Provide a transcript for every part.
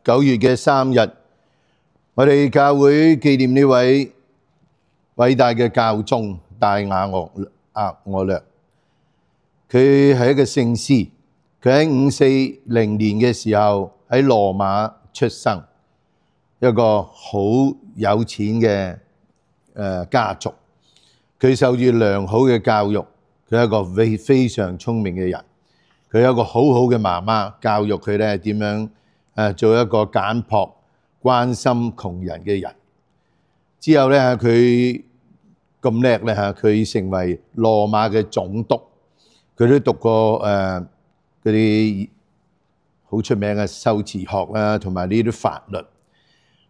9月嘅3日，我哋教會紀念呢位偉大嘅教宗大雅各略。佢係一個聖師，佢喺540年嘅時候喺羅馬出生，一個好有錢嘅家族。佢受住良好嘅教育，佢係一個非常聰明嘅人。佢有一個好好嘅媽媽教育佢咧點樣做一個簡樸、關心窮人嘅人。之後咧佢咁叻咧佢成為羅馬嘅總督。佢都讀過嗰啲好出名嘅修辭學啦，同埋呢啲法律。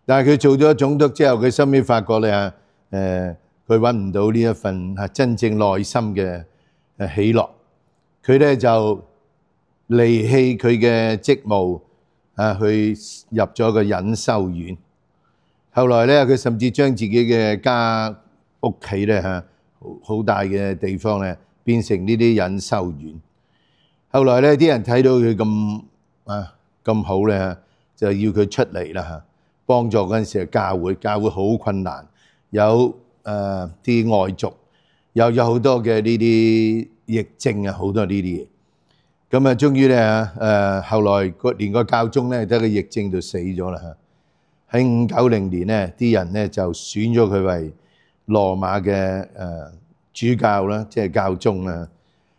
但係佢做咗總督之後，佢收尾發覺咧佢揾唔到呢一份真正內心嘅喜樂。佢咧就離棄佢嘅職務去入咗個隱修院。後來咧佢甚至將自己嘅屋企咧好大嘅地方咧變成呢啲隱修院。後來咧啲人睇到佢咁好咧，就要佢出嚟啦，幫助嗰陣時嘅教會好困難，有啲外族，又有好多嘅呢啲疫症啊，好多呢啲嘢。咁啊，終於咧後來連個教宗咧喺個疫症度死咗啦。喺590年咧，啲人咧就選咗佢為羅馬嘅主教啦，即係教宗啦。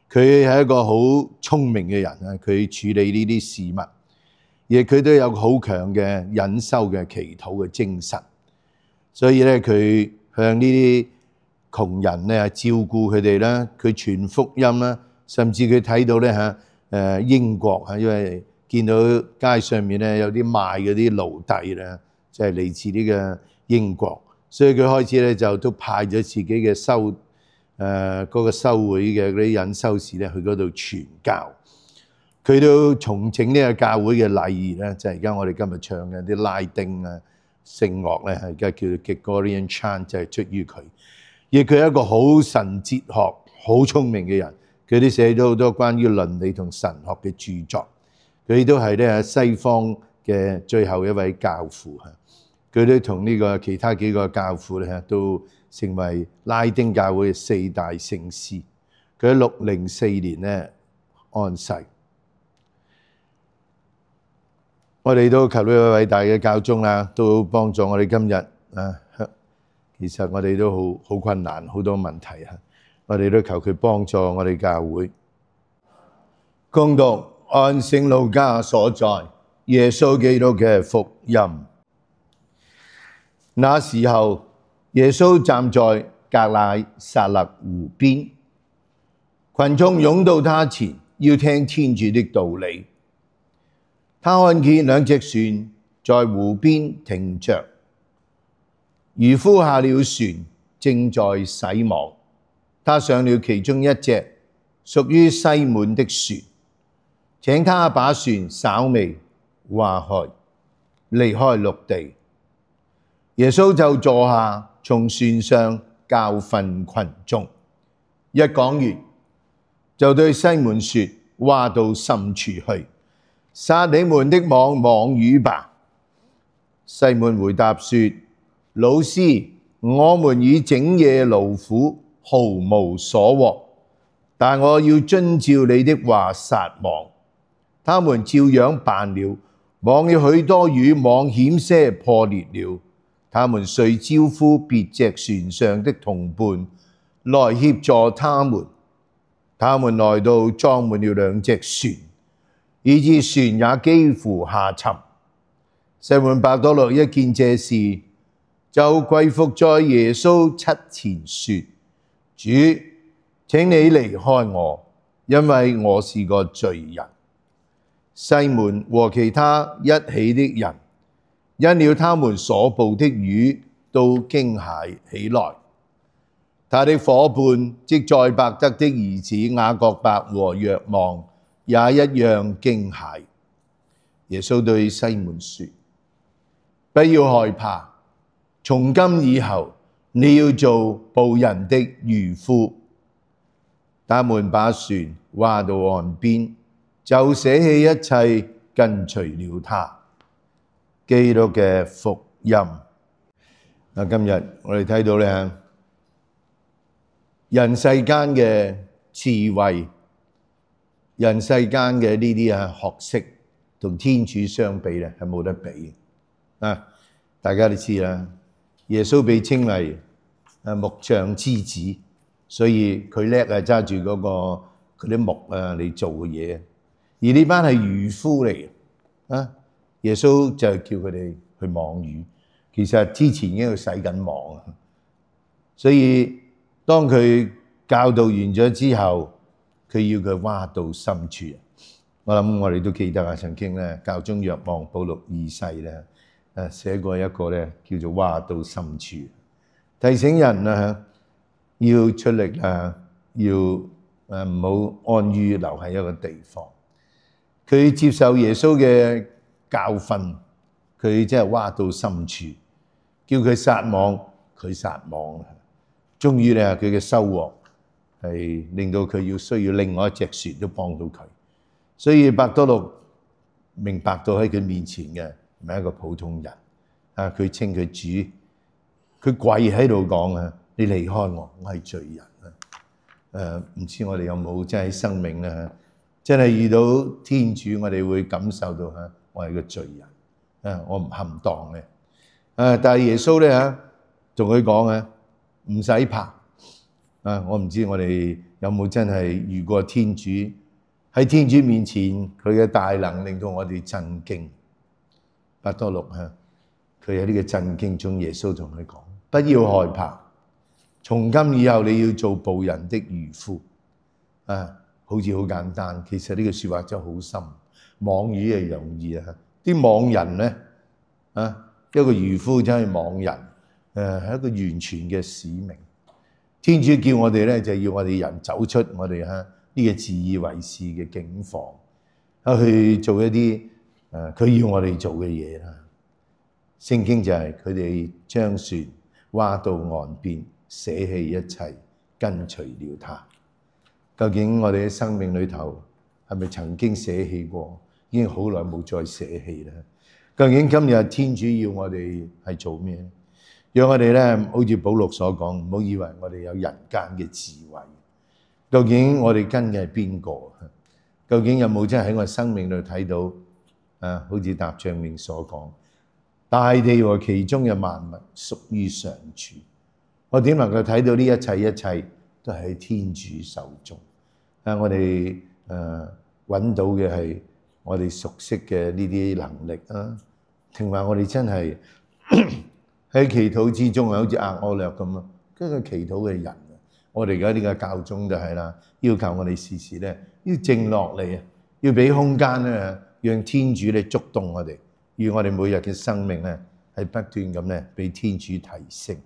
佢係一個好聰明嘅人啊，佢處理呢啲事物，而佢都有好強嘅隱修嘅祈禱嘅精神。所以咧，佢向呢啲窮人咧照顧佢哋啦，佢傳福音啦，甚至佢睇到咧英國因為見到街上面咧有啲賣嗰啲奴隸咧，就係嚟自呢個英國，所以佢開始咧就都派咗自己嘅嗰個修會嘅嗰啲隱修士咧去嗰度傳教。佢都重整呢個教會嘅禮儀咧，就係而家我哋今日唱嘅啲拉丁聖樂咧，而家叫做 Gregorian Chant， 就係出於佢。而佢係一個好神哲學、好聰明嘅人，佢都寫咗好多關於倫理同神學嘅著作。佢都係咧西方嘅最後一位教父。佢都同呢個其他幾個教父咧都成為拉丁教會嘅4大聖師。佢喺604年咧安逝。我哋都求呢位偉大嘅教宗啦，都幫助我哋今日其實我哋都好困難，好多問題。我哋都求佢幫助我哋教會。恭讀按聖路加所載耶穌基督嘅福音。那時候，耶穌站在革乃撒勒湖邊，群眾湧到他前，要聽天主的道理。他看見2隻船在湖邊停着，漁夫下了船，正在洗網。他上了其中一隻，屬於西滿的船，請他把船稍微划開，離開陸地。耶穌就坐下，從船上教訓群眾。一講完，就對西滿說：划到深處去，撒你們的網魚吧。西滿回答說：老師，我們已整夜勞苦，毫無所獲，但我要遵照你的話撒網。他們照樣辦了，網了許多魚，網險些破裂了。他們遂招呼別隻船上的同伴來協助他們。他們來到，裝滿了2隻船，以致船也幾乎下沉。西滿伯多祿一見這事，就跪伏在耶穌膝前說：主，請你離開我，因為我是個罪人。西滿和其他一起的人，因了他們所捕的魚，都驚駭起來。他的夥伴即載伯德的兒子雅各伯和若望，也一樣驚駭。耶穌對西滿說：不要害怕，從今以後你要做捕人的漁夫。他們把船划到岸邊，就捨棄一切，跟隨了他。基督嘅福音。今日我哋睇到咧，人世間嘅智慧，人世間嘅呢啲學識，同天主相比咧，係冇得比。大家都知啦，耶穌被稱為木匠之子，所以佢叻揸住嗰啲木嚟做嘅嘢。而呢班係漁夫嚟嘅，耶穌就叫佢哋去網魚。其實之前已經去洗緊網，所以當佢教導完咗之後，佢要佢挖到深處。我諗我哋都記得曾經咧，教宗若望保祿二世咧寫過一個咧叫做挖到深處，提醒人要出力要唔好安於留喺一個地方。佢接受耶穌嘅教訓，佢即係挖到深處，叫佢撒網，佢撒網。終於咧，佢嘅收穫係令到佢需要另外一隻船都幫到佢。所以伯多祿明白到喺佢面前嘅唔係一個普通人，佢稱佢主，佢跪喺度講你離開我，我係罪人。唔知我哋有冇真係喺生命真係遇到天主，我哋會感受到我係個罪人，我唔恰當嘅。但係耶穌咧同佢講唔使怕。我唔知我哋有冇真係遇過天主，喺天主面前佢嘅大能令到我哋震驚。伯多祿佢喺呢個震驚中，耶穌同佢講：不要害怕，從今以後你要做捕人的漁夫。好似好簡單，其實呢個說話真係好深。網魚係容易啲網人咧一個漁夫真係網人，係一個完全嘅使命。天主叫我哋咧，就要我哋人走出我哋呢個自以為是嘅境況，去做一啲佢要我哋做嘅嘢啦。聖經就係佢哋將船划到岸邊，捨棄一切，跟隨了他。究竟我哋喺生命裏頭係咪曾經捨棄過？已經好耐冇再捨棄啦。究竟今日天主要我哋係做咩咧？讓我哋咧，好似保祿所講，唔好以為我哋有人間嘅智慧。究竟我哋跟嘅係邊個？究竟有冇真係喺我生命裏睇到好似答唱詠所講，大地和其中嘅萬物屬於上主。我點能夠睇到呢一切都係喺天主手中？我哋揾到嘅係我哋熟悉嘅呢啲能力定話我哋真係喺祈禱之中好似額我略咁跟住祈禱嘅人。我哋而家呢個教宗就係啦，要求我哋時時咧要靜落嚟要俾空間咧，讓天主咧觸動我哋，與我哋每日嘅生命咧係不斷咁咧俾天主提升。